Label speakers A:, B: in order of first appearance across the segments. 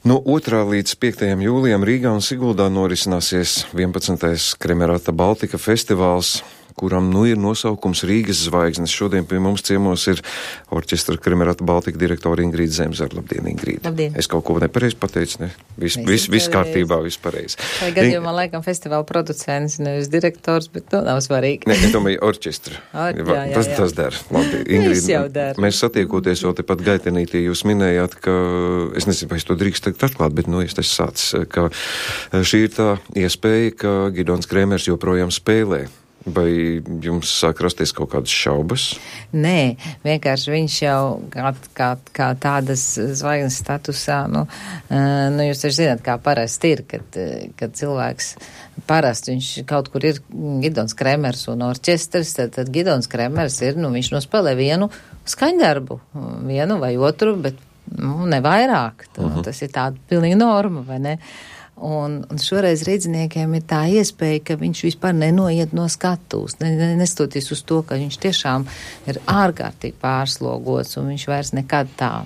A: No 2. līdz 5. jūlijam Rīgā un Siguldā norisināsies 11. Kremerata Baltika festivāls, kuram ir nosaukums Rīgas zvaigznes. Šodien pie mums ciemos ir orķestra Kremerata Baltika direktora Ingrīda Zemzara. Labdien, Ingrīda.
B: Labdien.
A: Es kaut ko nepareizi pateicu, ne? Viss kārtībā, viss pareizi.
B: Vai gadījumā laikam festivāla producents, nevis direktors, bet nav svarīgi.
A: Ne, es domāju, orķestra. Tas dara. Labi, Ingrīda, mēs satiekoties vēl tepat Gaitenītī, jūs minējāt, ka, es nezinu, vai es to drīkst tagad atklāt, bet, es tas sācis, ka šī ir tā iespēja, ka Gidons Krēmers joprojām spēlē. Vai jums sāk rasties kaut kādas šaubas?
B: Nē, vienkārši viņš jau kā tādas zvaigznes statusā, jūs taču zināt, kā parasti ir, kad cilvēks parasti viņš kaut kur ir Gidons Krēmers un orķestris, tad Gidons Krēmers ir, viņš nospēlē vienu skaņdarbu, vienu vai otru, bet, ne vairāk. Tas ir tāda pilnīga norma, vai ne? Un šoreiz rīdziniekiem ir tā iespēja, ka viņš vispār nenoiet no skatuves, nestoties uz to, ka viņš tiešām ir ārkārtīgi pārslogots un viņš vairs nekad tā,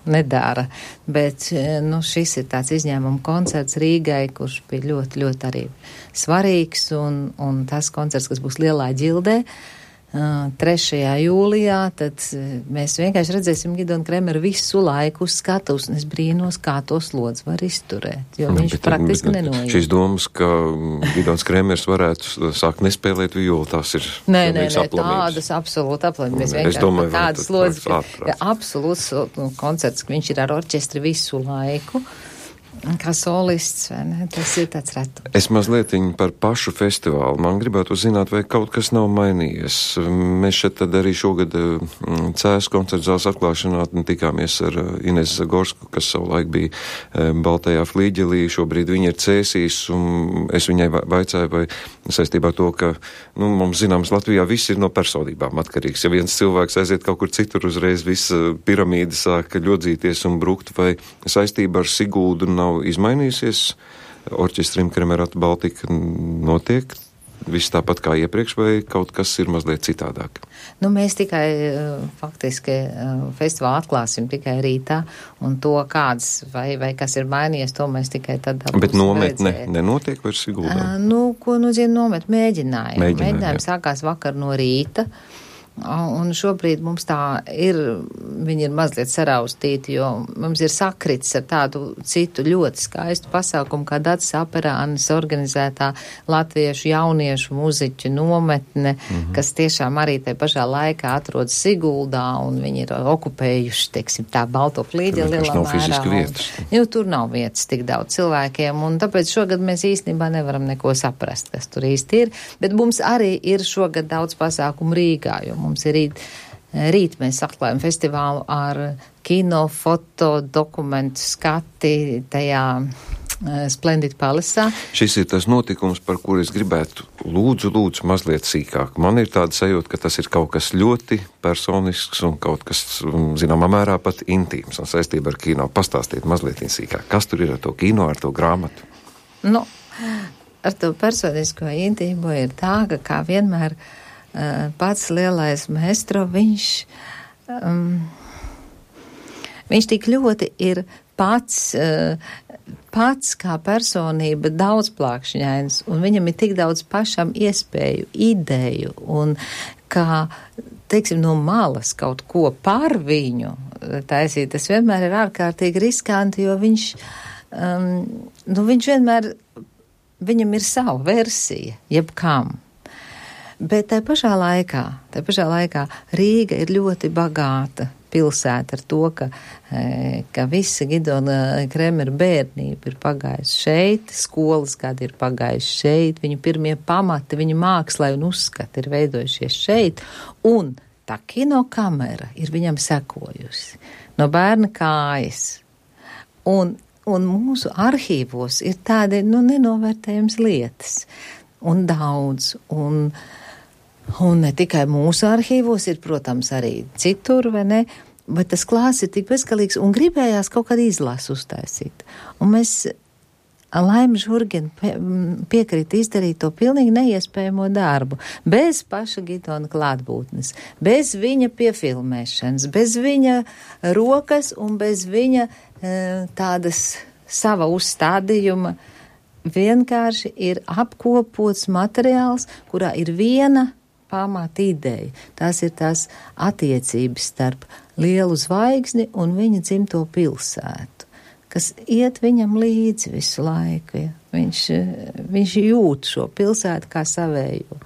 B: nedara. Bet, šis ir tāds izņēmuma koncerts Rīgai, kurš bija ļoti, ļoti arī svarīgs un tas koncerts, kas būs Lielā ģildē, 3. jūlijā, tad mēs vienkārši redzēsim Gidonu Krēmeru visu laiku uz skatuves, un es brīnos, kā to slodzi var izturēt, jo viņš praktiski nenoiet.
A: Šīs domas, ka Gidons Krēmers varētu sākt nespēlēt violi, tās ir
B: tādas absolūti aplamības. Mēs vienkārši tādas slodzes, absolūts koncerts, ka viņš ir ar orķestri visu laiku. Kā solists, vai ne? Tas ir tāds retums.
A: Es mazliet par pašu festivālu. Man gribētu zināt, vai kaut kas nav mainījies. Mēs šeit tad arī šogad CS koncerta zāles atklāšanā tikāmies ar Inesu Zagorsku, kas savulaik bija Baltajā flīģelī. Šobrīd viņa ir cēsīs, un es viņai vaicāju, vai saistībā to, ka, mums zināms, Latvijā viss ir no personībām atkarīgs. Ja viens cilvēks aiziet kaut kur citur, uzreiz visa piramīda sāk ļodzīties un brukt, vai saistība ar Siguldu nav izmainījusies, orķestrim Kremerata Baltika notiek viss tāpat kā iepriekš, vai kaut kas ir mazliet citādāk?
B: Mēs tikai faktiski festivālu atklāsim tikai rītā, un to kāds vai kas ir mainījies, to mēs tikai tad būsim
A: Bet nometne nenotiek vairs Siguldā?
B: Ko nozīmē nomet? Mēģinājumi sākās vakar no rīta. Un šobrīd mums tā ir, viņi ir mazliet saraustīti, jo mums ir sakrits ar tādu citu ļoti skaistu pasākumu, kā Dacis Aperānis organizētā latviešu jauniešu muziķu nometne, kas tiešām arī te pašā laikā atrodas Siguldā, un viņi ir okupējuši, teiksim, tā Balto flīģeli lielā mērā. Tur nav vietas tik daudz cilvēkiem, un tāpēc šogad mēs īstenībā nevaram neko saprast, kas tur īsti ir, bet mums arī ir šogad daudz pasākumu Rīgā, jo mums ir rīt mēs atklājam festivālu ar kino, foto, dokumentu skati tajā Splendid Palace'ā.
A: Šis ir tas notikums, par kur es gribētu lūdzu mazliet sīkāk. Man ir tāda sajūta, ka tas ir kaut kas ļoti personisks un kaut kas, zināmā mērā, pat intīms un saistība ar kino. Pastāstiet mazliet sīkāk. Kas tur ir ar to kino, ar to grāmatu?
B: Ar to personisko intīmo ir tā, ka kā vienmēr pats lielais maestro, viņš tik ļoti ir pats kā personība daudzplākšņains, un viņam ir tik daudz pašam iespēju, ideju, un kā, teiksim, no malas kaut ko par viņu taisīt, tas vienmēr ir ārkārtīgi riskanti, jo viņš vienmēr, viņam ir sava versija, jebkam. Bet tai pašā laikā Rīga ir ļoti bagāta pilsēta ar to, ka visa Gidona Krēmera bērnība ir pagājusi šeit, skolas gadi ir pagājuši šeit, viņu pirmie pamati, viņa mākslai un uzskati ir veidojušies šeit, un tā kinokamera ir viņam sekojusi no bērna kājas. Un mūsu arhīvos ir tādi, nenovērtējums lietas, un daudz, un ne tikai mūsu arhīvos, ir, protams, arī citur, vai ne, bet tas klāsts ir tik bezgalīgs, un gribējās kaut kādu izlasu uztaisīt. Un mēs, Laima Žurgina piekrita izdarīt to pilnīgi neiespējamo darbu, bez paša Gidona klātbūtnes, bez viņa piefilmēšanas, bez viņa rokas un bez viņa tādas sava uzstādījuma vienkārši ir apkopots materiāls, kurā ir viena pamata ideja. Tās ir tās attiecības starp lielu zvaigzni un viņa dzimto pilsētu, kas iet viņam līdzi visu laiku. Ja? Viņš jūt šo pilsētu kā savējo.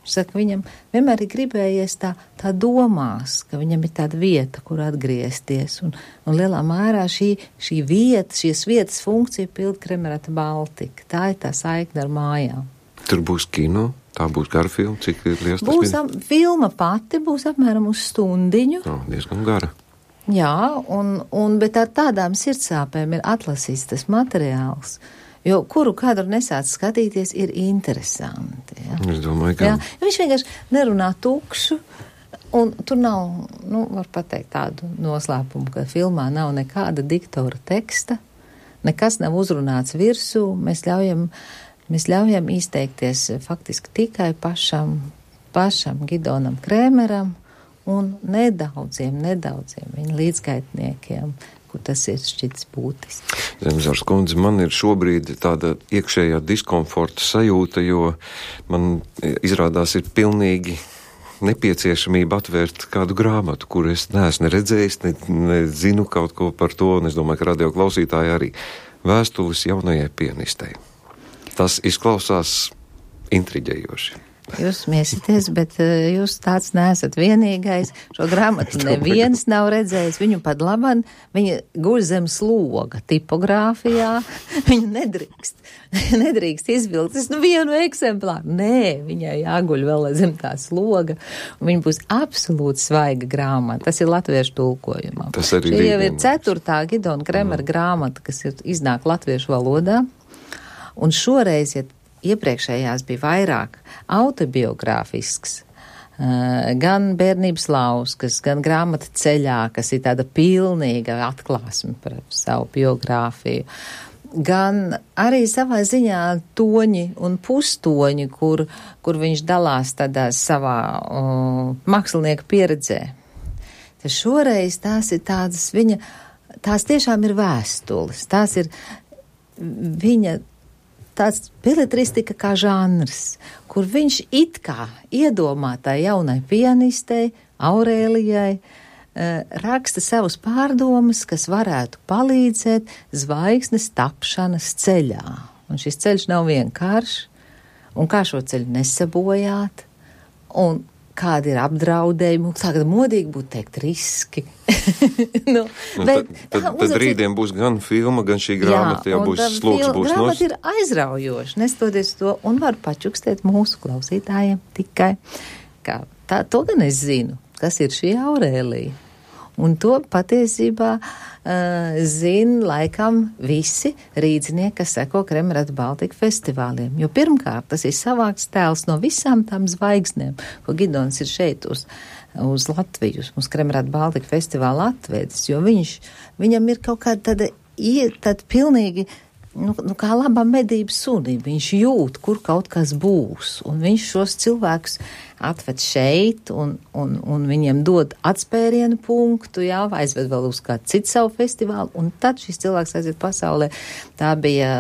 B: Viņš saka, viņam vienmēr ir gribējies tā domās, ka viņam ir tāda vieta, kur atgriezties. Un lielā mērā šī vieta, šīs vietas funkcija pilda Kremerata Baltika. Tā ir tā saikne ar mājām.
A: Tur būs kino, tā būs gara filma, cik liels tas
B: būs? Filma pati būs apmēram uz stundiņu.
A: Diezgan gara.
B: Jā, bet ar tādām sirdsāpēm ir atlasīts tas materiāls. Jo kuru kadru nesāc skatīties, ir interesanti. Ja?
A: Es domāju, ka...
B: Jā, viņš vienkārši nerunā tukšu, un tur nav, var pateikt tādu noslēpumu, ka filmā nav nekāda diktora teksta, nekas nav uzrunāts virsū, mēs ļaujam izteikties faktiski tikai pašam Gidonam Krēmeram un nedaudziem viņa līdzgaitniekiem, kur tas ir šķits būtisks.
A: Zemzārs kundze, man ir šobrīd tāda iekšējā diskomforta sajūta, jo man izrādās ir pilnīgi nepieciešamība atvērt kādu grāmatu, kur es neesmu redzējis, nezinu kaut ko par to, un es domāju, ka radio klausītāji arī. Vēstules jaunajai pianistei. Tas izklausās intriģējoši.
B: Jūs smiesieties, bet jūs tāds neesat vienīgais. Šo grāmatu neviens nav redzējis. Viņu pat labam, viņa guļ zem sloga tipogrāfijā. Viņu nedrīkst izvilkt. Es vienu eksemplāru. Nē, viņai jāguļ vēl zem tā sloga. Un viņa būs absolūti svaiga grāmata. Tas ir latviešu tulkojumā.
A: Šī
B: jau ir 4. Gidona Kremera grāmata, kas iznāk latviešu valodā. Un šoreiz, iepriekšējās bija vairāk autobiogrāfisks, gan bērnības lauskas, gan grāmata ceļā, kas ir tāda pilnīga atklāsme par savu biogrāfiju, gan arī savā ziņā toņi un pustoņi, kur viņš dalās tādā savā mākslinieka pieredzē. Tad šoreiz tās ir tādas tās tiešām ir vēstules, tās ir viņa tāds beletristika kā žanrs, kur viņš it kā iedomātai jaunai pianistei, Aurēlijai, raksta savus pārdomas, kas varētu palīdzēt zvaigznes tapšanas ceļā. Un šis ceļš nav vienkāršs, un kā šo ceļu nesabojāt, un kādi ir apdraudējumi, tagad modīgi būtu teikt riski.
A: Tad rītdien būs gan filma, gan šī grāmata, jau būs sloks, būs nos.
B: Grāmata ir aizraujoša, nestoties to, un var pačukstēt mūsu klausītājiem tikai, kā to gan es zinu, kas ir šī Aurēlija. Un to patiesībā zina laikam visi rīdznieki, kas seko Kremerata Baltika festivāliem. Jo pirmkārt, tas ir savāks tēls no visām tām zvaigznēm, ko Gidons ir šeit uz Latviju, uz Kremerata Baltika festivāla atvedis, jo viņam ir kaut kāda tāda pilnīgi, kā labā medību sunība. Viņš jūt, kur kaut kas būs, un viņš šos cilvēkus atved šeit, un viņiem dod atspērienu punktu, aizved vēl uz kādu citu savu festivālu, un tad šis cilvēks aiziet pasaulē. Tā bija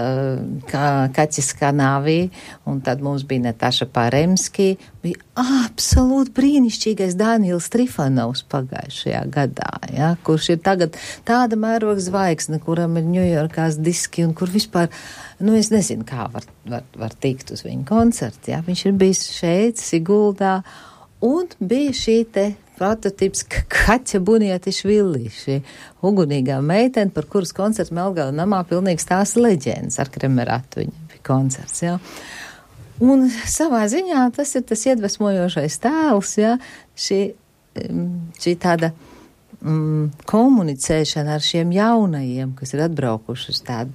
B: Kaķis Kanavī, un tad mums bija Nataša Paremski, bija absolūti brīnišķīgais Daniels Trifanovs pagājušajā gadā, kurš ir tagad tāda mēroga zvaigzne, kuram ir Ņujorkās diski, un kur vispār, es nezinu, kā var tikt uz viņu koncertu, Viņš ir bijis šeit, Siguldā, un bija šī te prototips Kaķa Bunietišvili, šī ugunīgā meitene, par kuras koncertu Melgava namā pilnīgi stāsta leģendas ar Kremeratu, viņa bija koncerts, Un savā ziņā tas ir tas iedvesmojošais tēls, šī tāda komunicēšana ar šiem jaunajiem, kas ir atbraukuši uz tādu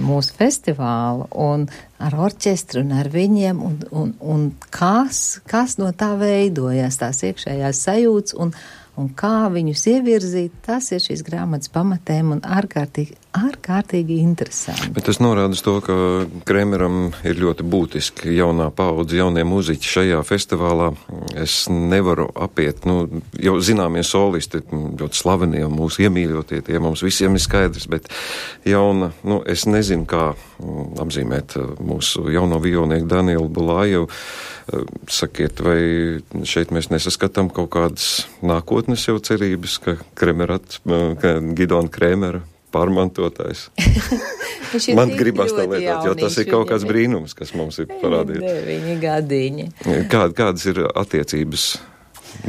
B: mūsu festivālu, un ar orķestru un ar viņiem, un kas no tā veidojas, tās iekšējās sajūtas, un kā viņus ievirzīt, tas ir šīs grāmatas pamatēm, un ārkārtīgi, ārkārtīgi interesanti.
A: Bet tas norāda uz to, ka Kremeram ir ļoti būtiski jaunā paudze, jaunie muziķi šajā festivālā. Es nevaru apiet, jau zināmie solisti, ļoti slavenie un mūsu iemīļotie, tie mums visiem ir skaidrs, bet jauna, es nezinu, kā apzīmēt mūsu jauno violnieku Danielu Bulājevu. Sakiet, vai šeit mēs nesaskatām kaut kādas nākotnes jau cerības, ka Gidona Kremera pārmantotājs? Man gribas tā lietot, jo tas ir kaut kāds brīnums, kas mums ir parādīts.
B: 9 gadiņi.
A: Kādas ir attiecības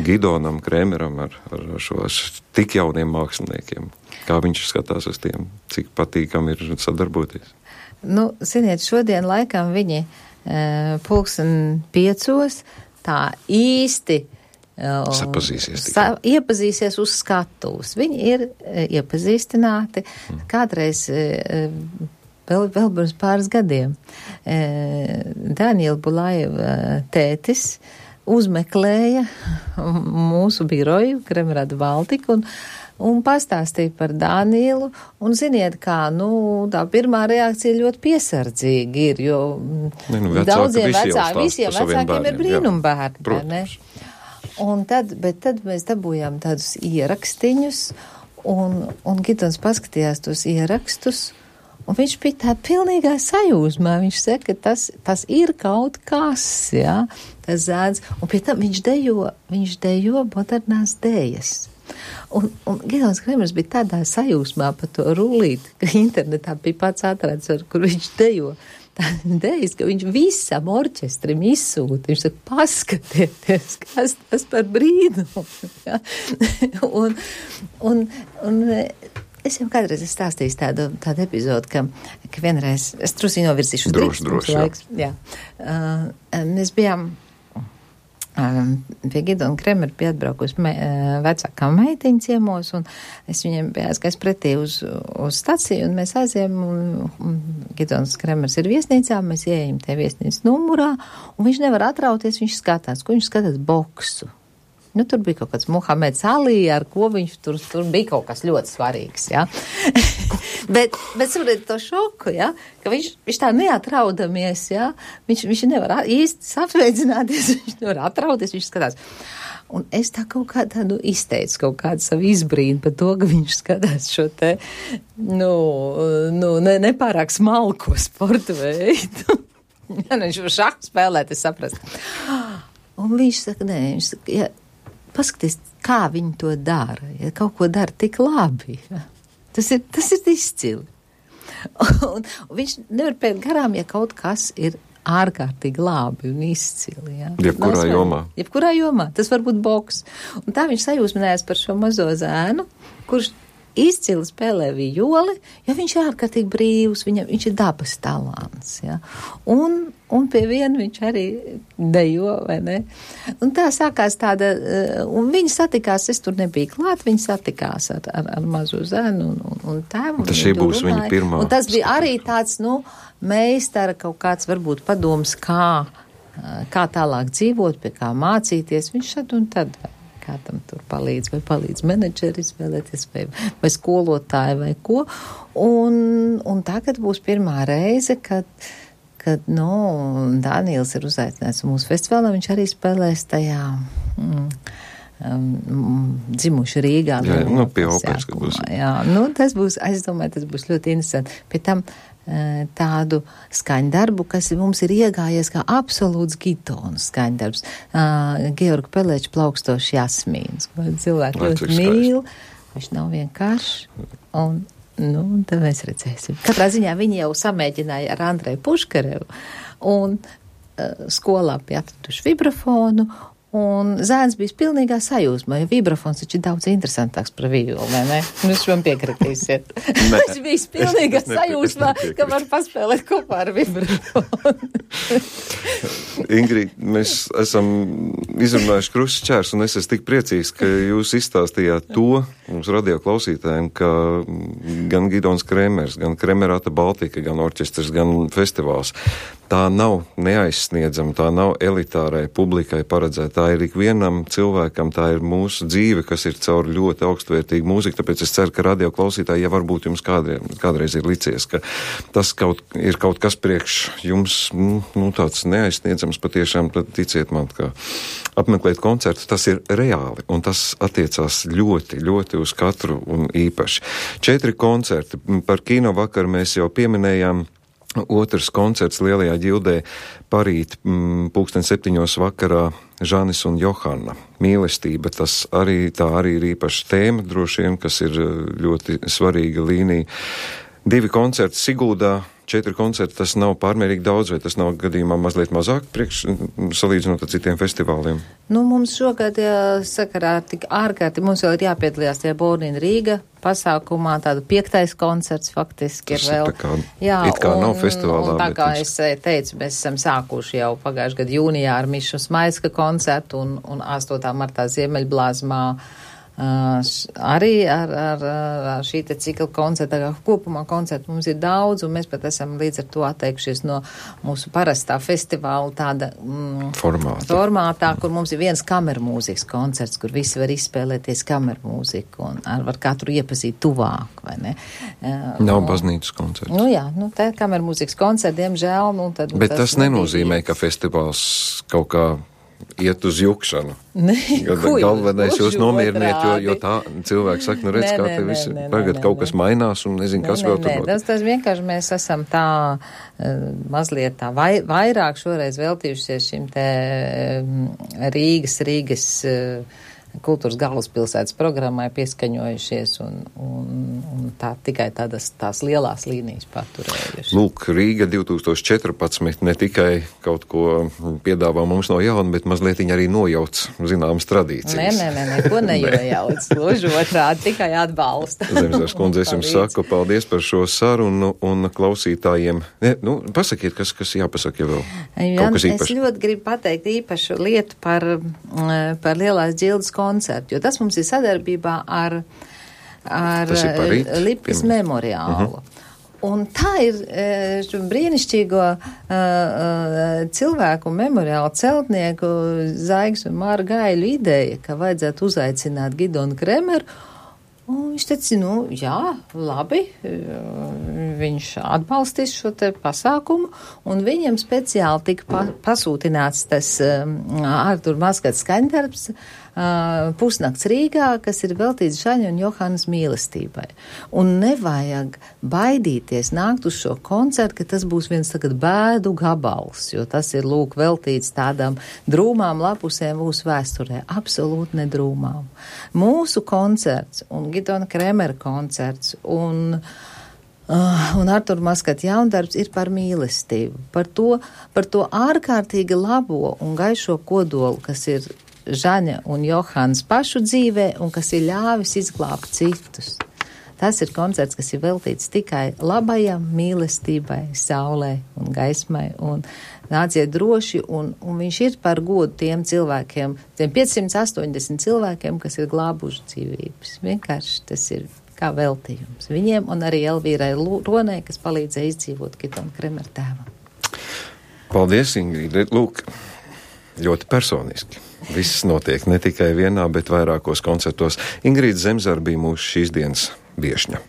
A: Gidonam Kremeram ar šo tik jauniem māksliniekiem? Kā viņš skatās uz tiem? Cik patīkam ir sadarboties?
B: Ziniet, šodien laikam viņi 5:00 tā īsti iepazīsies uz skatuves. Viņi ir iepazīstināti kādreiz vēl pirms pāris gadiem. Daniela Bulājeva tētis uzmeklēja mūsu biroju Kremerāda Baltika un pastāstīja par Danielu, un ziniet kā, tā pirmā reakcija ļoti piesardzīgi ir, jo visiem vecākiem ir brīnumbērni, ne? Bet tad mēs dabūjām tādus ierakstiņus, un Gidons paskatījās tos ierakstus, un viņš bija tā pilnīgā sajūsmā. Viņš saka, ka tas ir kaut kas, jā, tas zēns, un pie tam viņš dejo modernās dējas. Un Gidons Kremers bija tādā sajūsmā par to rullīti, ka internetā bija pats atrads, kur viņš dejo dējas, ka viņš visam orķestrim izsūta. Viņš saka, paskatieties, kas tas par brīnumu. Ja? un es jau kādreiz esmu stāstījis tādu epizodu, ka vienreiz, es trusi novirzīšu
A: droši,
B: laiks. Jā. Mēs bijām pie Gidona Kremera bija atbraukusi vecākā meitiņa ciemos, un es viņiem biju aizgājis pretī uz staciju, un mēs aizējām, un Gidons Kremers ir viesnīcā, mēs ieejam te viesnīcas numurā, un viņš nevar atrauties, viņš skatās, ko viņš skatās boksu. Tur bija kaut kāds Muhameds Alī, ar ko viņš tur bija kaut kas ļoti svarīgs, jā. bet saprotiet to šoku, jā, ka viņš tā neatraudamies, jā, viņš nevar īsti sapveidzināties, viņš nevar atrauties, viņš skatās. Un es tā kaut kā tādu izteicu, kaut kādu savu izbrīnu par to, ka viņš skatās šo te, nepārāk smalko sporta veidu. Viņš var šahu spēlēt, es saprast. Un viņš saka, viņš saka, ja, paskaties, kā viņi to dara, ja kaut ko dara tik labi. Ja. Tas ir izcili. Un viņš nevar pēc garām, ja kaut kas ir ārkārtīgi labi un izcili. Ja. Jebkurā jomā. Tas var būt boks. Un tā viņš sajūsminājās par šo mazo zēnu, kurš izcili spēlē vijoli, jo viņš ir ārkārtīgi brīvs, viņš ir dabas talants. Ja. Un pie viena viņš arī dejo, vai ne? Un tā sākās tāda, un viņi satikās, es tur nebiju klāt, viņi satikās ar mazo zēnu un tēvu.
A: Tas šī būs viņa pirmā.
B: Un tas bija arī tāds, meistara kaut kāds varbūt padoms, kā tālāk dzīvot, pie kā mācīties. Viņš šad un tad kādam tur palīdz, vai palīdz menedžeri izvēlēties, vai skolotāji, vai ko. Un tagad būs pirmā reize, kad Daniels ir uzaicināts mūsu festivālā, viņš arī spēlēs tajā dzimuši Rīgā.
A: Jā, pie operas, kad būs.
B: Jā, tas būs, es domāju, tas būs ļoti interesanti. Pie tam tādu skaņdarbu, kas mums ir iegājies kā absolūts Gidona skaņdarbs. Georga Pelēča Plaukstošs jasmīns, ko cilvēki ļoti mīl. Viņš nav vienkārši. Un tad mēs redzēsim. Katrā ziņā viņi jau samēģināja ar Andreju Puškarevu un skolā bija atraduši vibrafonu. Un zēns bija pilnīgā sajūsmā, jo vibrafons taču ir daudz interesantāks par vijoli, vai ne? Jūs man piekritīsiet. Viņš bija pilnīgā sajūsmā, ka var paspēlēt kopā ar vibrafonu.
A: Ingrid, mēs esam izrunājuši krustu šķērs, un es esmu tik priecīgs, ka jūs izstāstījāt to mums radio klausītājiem, ka gan Gidons Kremers, gan Kremerāta Baltika, gan orķestrs, gan festivāls tā nav neaizsniedzama, tā nav elitārai publikai paredzēta. Tā ir ikvienam cilvēkam, tā ir mūsu dzīve, kas ir caur ļoti augstvērtīgu mūziku, tāpēc es ceru, ka radio klausītāji, ja varbūt jums kādreiz ir licies, ka tas ir kaut kas priekš jums, tāds neaizsniedzams patiešām, tad ticiet man, ka apmeklēt koncertu, tas ir reāli, un tas attiecās ļoti, ļoti uz katru un īpaši. 4 koncerti, par kino vakaru mēs jau pieminējām. Otrs koncerts Lielajā ģildē parīt 7:00 vakarā Žanis un Johanna. Mīlestība, tā arī ir īpaša tēma, droši vien, kas ir ļoti svarīga līnija. 2 koncerti Siguldā, 4 koncerti, tas nav pārmērīgi daudz, vai tas nav gadījumā mazliet mazāk salīdzinot ar citiem festivāliem?
B: Mums šogad sakarā tik ārkārtīgi, mums vēl ir jāpiedalījās tajā Born in Rīga pasākumā, tādu 5. koncerts faktiski
A: tas
B: ir vēl.
A: It kā nav festivālā.
B: Un tā kā es teicu, mēs esam sākuši jau pagājušajā gadu jūnijā ar Mišu Smaiska koncertu un 8. martā Ziemeļblāzmā. Arī ar šī te cikla koncerta, kopumā koncertu mums ir daudz, un mēs pat esam līdz ar to atteikušies no mūsu parastā festivāla tāda formātā, kur mums ir viens kamermūzikas koncerts, kur visi var izspēlēties kamermūziku un var katru iepazīt tuvāk, vai ne?
A: Nav baznīcas koncerts.
B: Tā kamermūzikas koncerts, diemžēl.
A: Bet tas nenozīmē, ka festivāls kaut kā iet uz jukšanu. Galvenais jūs nomieriniet, jo tā cilvēki saka, redz, kā te viss tagad kaut kas mainās un nezinu, kas vēl tur notiek.
B: Tas vienkārši mēs esam tā mazliet tā vairāk šoreiz veltījušies šim te Rīgas kultūras galvaspilsētas programmai pieskaņojušies un tā tikai tās lielās līnijas paturējuši.
A: Lūk, Rīga 2014 ne tikai kaut ko piedāvā mums no jauna, bet mazliet arī nojauc zināmas tradīcijas.
B: Neko nejauc. Gluži otrādi, tikai atbalsta.
A: Zemzars kundze, es jums saku paldies par šo sarunu un klausītājiem. Pasakiet, kas jāpasaka jau vēl. Kaut kas īpaši.
B: Es ļoti gribu pateikt īpašu lietu par Lielās ģildes koncertu, jo tas mums ir sadarbībā ar Lipkas memoriālu. Un tā ir brīnišķīgo cilvēku memoriālu celtnieku Zaigas un Māra Gaiļu ideja, ka vajadzētu uzaicināt Gidonu Kremeru. Un viņš teica, jā, labi, viņš atbalstīs šo te pasākumu, un viņam speciāli tika pasūtināts tas Artur Maskats skaņdarbs Pusnakts Rīgā, kas ir veltīts Žaņa un Johannas mīlestībai. Un nevajag baidīties nākt uz šo koncertu, ka tas būs viens tagad bēdu gabals, jo tas ir, veltīts tādām drūmām lapusēm mūsu vēsturē. Absolūti nedrūmām. Mūsu koncerts un Gidona Kremera koncerts un Artur Maskata jaundarbs ir par mīlestību, par to ārkārtīgi labo un gaišo kodolu, kas ir Žaņa un Johans pašu dzīvē un kas ir ļāvis izglābt citus. Tas ir koncerts, kas ir veltīts tikai labajam, mīlestībai, saulē un gaismai, un nāciet droši, un viņš ir par godu tiem cilvēkiem, tiem 580 cilvēkiem, kas ir glābuši dzīvības. Vienkārši tas ir kā veltījums viņiem, un arī Elvīrai Ronai, kas palīdzēja izdzīvot Gidona Kremera tēvam.
A: Paldies, Ingrīda. Lūk, ļoti personiski. Viss notiek ne tikai vienā, bet vairākos koncertos. Ingrīda Zemzara bija mūsu šīs dienas viešņa.